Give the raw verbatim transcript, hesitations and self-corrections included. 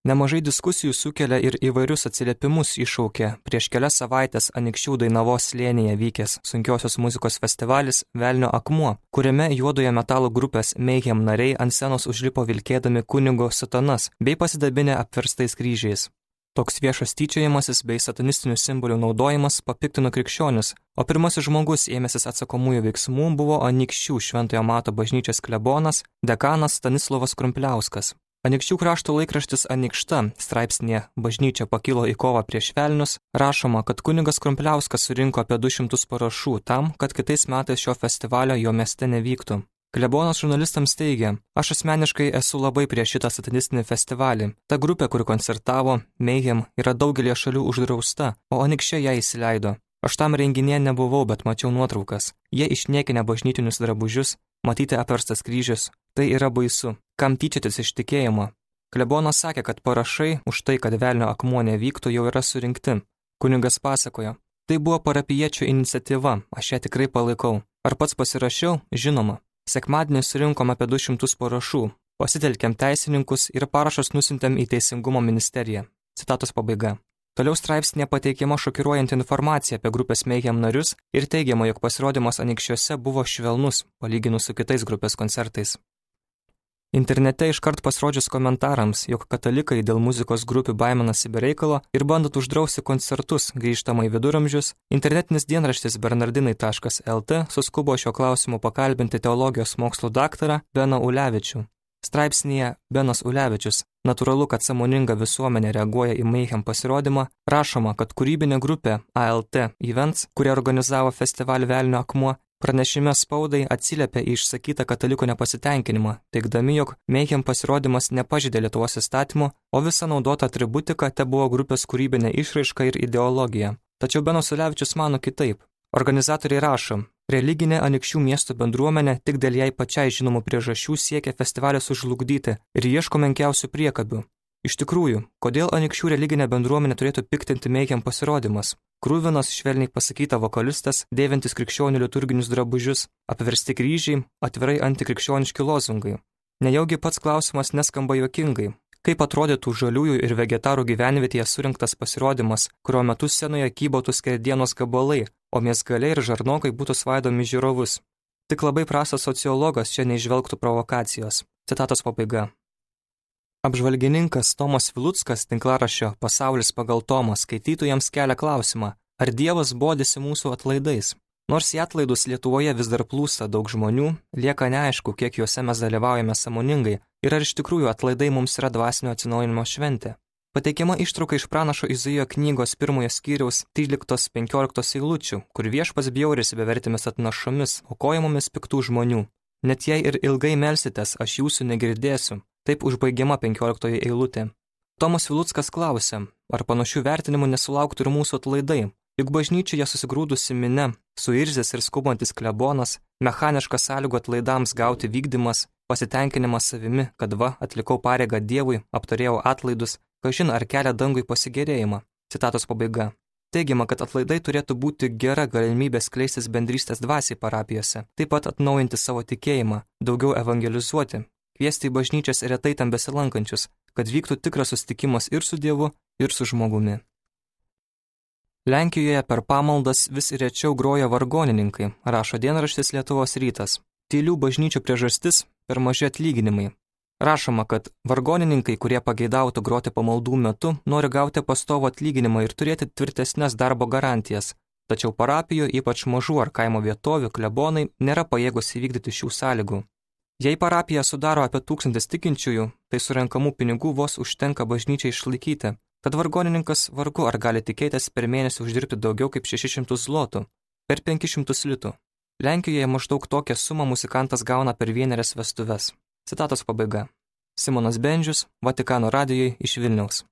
Nemažai diskusijų sukelia ir įvairius atsiliepimus iššaukė prieš kelias savaitės Anykščių Dainavos slėnyje vykęs sunkiosios muzikos festivalis Velnio akmuo, kuriame juodojo metalo grupės Mayhem nariai ant scenos užlipo vilkėdami kunigo sutanas bei pasidabinę apverstais kryžiais. Toks viešas tyčiojimasis bei satanistinių simbolių naudojimas papiktino krikščionis, o pirmasis žmogus ėmęsis atsakomųjų veiksmų buvo Anykščių Šventojo Mato bažnyčios klebonas, dekanas Stanislovas Krumpliauskas. Anykščių krašto laikraštis Anykšta straipsnėje Bažnyčia pakilo į kovą prieš velnius rašoma, kad kunigas Krumpliauskas surinko apie du šimtus parašų tam, kad kitais metais šio festivalio jo mieste nevyktų. Klebonas žurnalistams teigia, aš asmeniškai esu labai prieš šitą satanistinį festivalį. Ta grupė, kuri koncertavo, Mayhem, yra daugelie šalių uždrausta, o Anykščiai ją įsileido. Aš tam renginėje nebuvau, bet mačiau nuotraukas. Jie išniekinę bažnytinius drabužius, matyti apverstas kryžius. Tai yra baisu. Kam tyčiotis iš tikėjimo? Klebonas sakė, kad parašai už tai, kad Velnio akmuo nevyktų, jau yra surinkti. Kunigas pasakojo, tai buvo parapijiečių iniciatyva, aš ją tikrai palaikau. Ar pats pasirašiau? Žinoma. Sekmadienį surinkom apie du šimtus parašų, pasitelkėm teisininkus ir parašus nusintėm į Teisingumo ministeriją. Citatos pabaiga. Toliau straipsnėje pateikiama šokiruojanti informacija apie grupės Mayhem narius ir teigiama, jog pasirodymas Anykščiuose buvo švelnus, palyginus su kitais grupės koncertais. Internete iškart pasirodžius komentarams, jog katalikai dėl muzikos grupių baiminasi be reikalo ir bandot uždrausti koncertus grįžtamai viduramžius, internetinis dienraštis bernardinai taškas lt suskubo šio klausimu pakalbinti teologijos mokslų daktarą Beną Ulevičių. Straipsnėje Benas Ulevičius, natūralu, kad sąmoninga visuomenė reaguoja į Mayhem pasirodymą, rašoma, kad kūrybinė grupė A L T Events, kurie organizavo festivalį Velnio akmuo, pranešime spaudai atsiliepė į išsakytą katalikų nepasitenkinimą, teigdami, jog Mayhem pasirodymas nepažeidė Lietuvos įstatymų, o visa naudota atributika te buvo grupės kūrybinė išraiška ir ideologija. Tačiau Benas Ulevičius mano kitaip. Organizatoriai rašo, religinė Anykščių miesto bendruomenė tik dėl jai pačiai žinomų priežasčių siekia festivalį sužlugdyti ir ieško menkiausių priekabių. Iš tikrųjų, kodėl Anykščių religinė bendruomenė turėtų piktinti Mayhem pasirodymas? Krūvinas, švelniai pasakyta vokalistas, dėvintis krikščionių liturginius drabužius, apversti kryžiai, atvirai antikrikščioniški lozungai. Nejaugi pats klausimas neskamba juokingai. Kaip atrodytų žaliųjų ir vegetarų gyvenvietėje surinktas pasirodymas, kurio metu scenoje kybotų skerdienos gabalai, o miesgaliai ir žarnokai būtų svaidomi žiūrovus. Tik labai prastas sociologas čia neižvelgtų provokacijos. Citatos pabaiga. Apžvalgininkas Tomas Viluckas tinklaraščio Pasaulis pagal Tomą skaitytojams kelia klausimą, ar Dievas bodisi mūsų atlaidais. Nors į atlaidus Lietuvoje vis dar plūsta daug žmonių, lieka neaišku, kiek juose mes dalyvaujame sąmoningai ir ar iš tikrųjų atlaidai mums yra dvasinio atsinaujinimo šventė. Pateikiama ištrauka iš pranašo Izaijo knygos pirmojo skyriaus tryliktos penkioliktos eilučių, kur viešpats bjaurisi bevertėmis atnašomis, aukojamomis piktų žmonių. Net jei ir ilgai melsitės, aš jūsų negirdėsiu. Taip užbaigiama penkioliktoji eilutė. Tomas Viluckas klausia, ar panašių vertinimų nesulauktų ir mūsų atlaidai. Juk bažnyčioje susigrūdusi minia, suirzęs ir skubantis klebonas, mechaniškas sąlygų atlaidams gauti vykdymas, pasitenkinimas savimi, kad va, atlikau pareigą Dievui, aptarėjau atlaidus, kažin ar kelia dangui pasigėrėjimą. Citatos pabaiga. Teigiama, kad atlaidai turėtų būti gera galimybė skleistis bendrystės dvasiai parapijose, taip pat atnaujinti savo tikėjimą, daugiau evangelizuoti, kviesti į bažnyčias retai tam besilankančius, kad vyktų tikras susitikimas ir su Dievu, ir su žmogumi. Lenkijoje per pamaldas vis rečiau groja vargonininkai, rašo dienraštis Lietuvos rytas. Tylių bažnyčių priežastis – per maži atlyginimai. Rašoma, kad vargonininkai, kurie pageidautų groti pamaldų metu, nori gauti pastovų atlyginimą ir turėti tvirtesnes darbo garantijas. Tačiau parapijų, ypač mažų ar kaimo vietovių, klebonai nėra pajėgus įvykdyti šių sąlygų. Jei parapija sudaro apie tūkstantis tikinčiųjų, tai surenkamų pinigų vos užtenka bažnyčiai išlaikyti. Tad vargonininkas vargu ar gali tikėtis per mėnesį uždirbti daugiau kaip šešis šimtus zlotų, per penkis šimtus litų. Lenkijoje maždaug tokią sumą muzikantas gauna per vienerias vestuves. Citatos pabaiga. Simonas Bendžius, Vatikano radijui iš Vilniaus.